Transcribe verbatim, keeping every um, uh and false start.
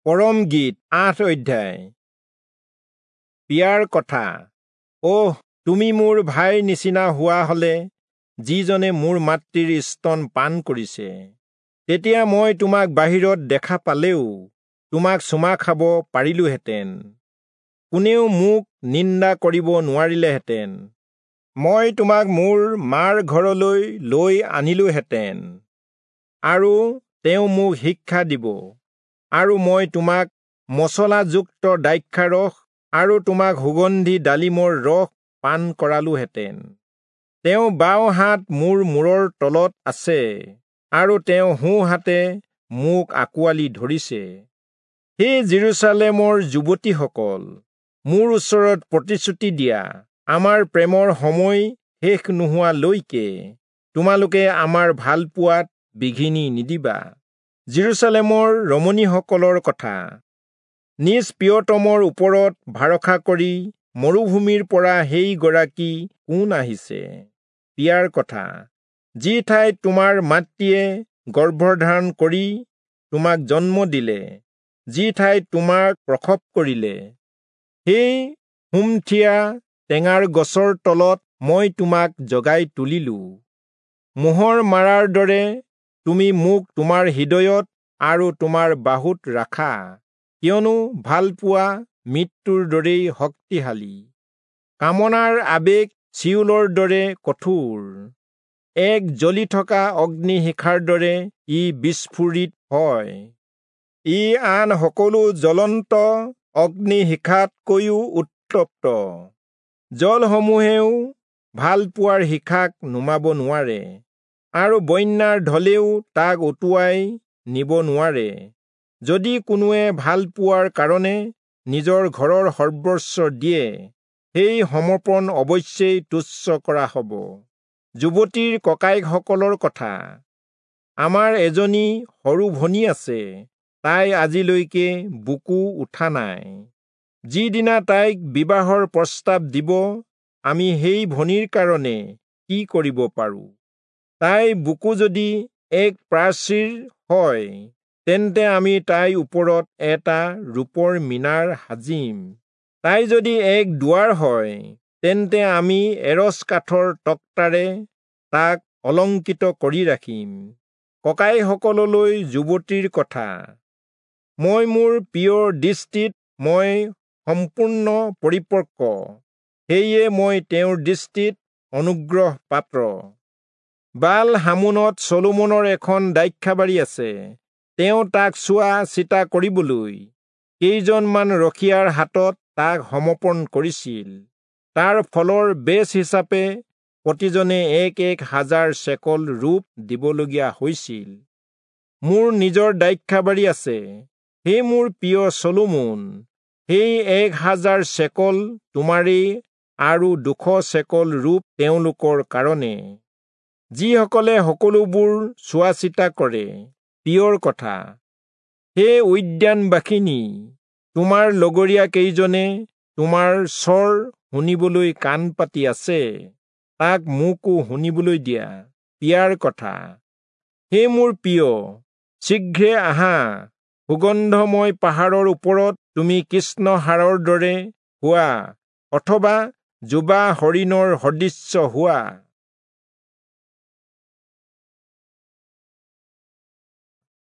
পৰম গীত আঠ অধ্যায়। পিয়াৰ কথা। অহ, তুমি মোৰ ভাইৰ নিচিনা হোৱা হলে, যিজনে মোৰ মাতৃৰ স্তন পান কৰিছে। তেতিয়া মই তোমাক বাহিৰত দেখা পালেও তোমাক চুমা খাব পাৰিলোহেঁতেন, কোনেও মোক নিন্দা কৰিব নোৱাৰিলেহেঁতেন। মই তোমাক মোৰ মাৰ ঘৰলৈ লৈ আনিলোহেঁতেন, আৰু তেওঁ মোক শিক্ষা দিব, আৰু মই তোমাক মচলাযুক্ত দ্ৰাক্ষাৰস আৰু তোমাক সুগন্ধি ডালিমৰ ৰস পান কৰালোহেঁতেন। তেওঁ বাওঁ হাত মোৰ মূৰৰ তলত আছে, আৰু তেওঁ সোঁ হাতে মোক আঁকোৱালি ধৰিছে। হে যিৰূচালেমৰ যুৱতীসকল, মোৰ ওচৰত প্ৰতিশ্ৰুতি দিয়া, আমাৰ প্ৰেমৰ সময় শেষ নোহোৱালৈকে তোমালোকে আমাৰ ভালপোৱাত বিঘিনি নিদিবা। যিৰূচালেমৰ ৰমণীসকলৰ কথা। নিজ প্ৰিয়তমৰ ওপৰত ভৰসা কৰি মৰুভূমিৰ পৰা সেই গৰাকী কোন আহিছে? পিয়াৰ কথা। যি ঠাইত তোমাৰ মাতৃয়ে গৰ্ভধাৰণ কৰি তোমাক জন্ম দিলে, যি ঠাইত তোমাক প্ৰসৱ কৰিলে, সেই সুমথিয়া টেঙাৰ গছৰ তলত মই তোমাক জগাই তুলিলো। মোহৰ মাৰাৰ দৰে তুমি মোক তোমাৰ হৃদয়ত আৰু তোমাৰ বাহুত ৰাখা, কিয়নো ভালপোৱা মৃত্যুৰ দৰেই শক্তিশালী, কামনাৰ আৱেগ চিউলৰ দৰে কঠোৰ, এক জ্বলি থকা অগ্নিশিখাৰ দৰে ই বিস্ফোৰিত হয়। ই আন সকলো জ্বলন্ত অগ্নিশিখাতকৈও উত্তপ্ত। জলসমূহেও ভালপোৱাৰ শিখাক নুমাব নোৱাৰে, আৰু বন্যাৰ ঢলেও তাক উটুৱাই নিব নোৱাৰে। যদি কোনোৱে ভালপোৱাৰ কাৰণে নিজৰ ঘৰৰ সৰ্বস্ব দিয়ে, সেই সমৰ্পণ অৱশ্যেই তুচ্ছ কৰা হ'ব। যুৱতীৰ ককায়েকসকলৰ কথা। আমাৰ এজনী সৰু ভনী আছে, তাই আজিলৈকে বুকু উঠা নাই। যিদিনা তাইক বিবাহৰ প্ৰস্তাৱ দিব, আমি সেই ভনীৰ কাৰণে কি কৰিব পাৰোঁ? তাই বুকু যদি এক প্ৰাচীৰ হয়, তেন্তে আমি তাইৰ ওপৰত এটা ৰূপৰ মিনাৰ সাজিম। তাই যদি এক দুৱাৰ হয়, তেন্তে আমি এৰচ কাঠৰ তক্তাৰে তাক অলংকৃত কৰি ৰাখিম। ককাইসকললৈ যুৱতীৰ কথা। মই মোৰ প্ৰিয়ৰ দৃষ্টিত মই সম্পূৰ্ণ পৰিপক্ক, সেয়ে মই তেওঁৰ দৃষ্টিত অনুগ্ৰহ পাত্ৰ। বাল হামোনত চলোমনৰ এখন দ্ৰাক্ষাবাৰী আছে। তেওঁ তাক চোৱা চিতা কৰিবলৈ কেইজনমান ৰখীয়াৰ হাতত তাক সমৰ্পণ কৰিছিল। তাৰ ফলৰ বেচ হিচাপে প্ৰতিজনে এক এক হাজাৰ চেকল ৰূপ দিবলগীয়া হৈছিল। মোৰ নিজৰ দ্ৰাক্ষাবাৰী আছে, হে মোৰ প্ৰিয় চলোমন, সেই এক হাজাৰ চেকল তোমাৰেই আৰু দুশ চেকল ৰূপ তেওঁলোকৰ কাৰণে, যিসকলে সকলোবোৰ চোৱা চিতা কৰে। প্ৰিয়ৰ কথা। হে উদ্যানবাসিনী, তোমাৰ লগৰীয়া কেইজনে তোমাৰ স্বৰ শুনিবলৈ কাণ পাতি আছে, তাক মোকো শুনিবলৈ দিয়া। পিয়াৰ কথা। হে মোৰ প্ৰিয়, শীঘ্ৰে আহা। সুগন্ধময় পাহাৰৰ ওপৰত তুমি কৃষ্ণহাৰৰ দৰে হোৱা, অথবা যুৱা হৰিণৰ সদৃশ্য হোৱা।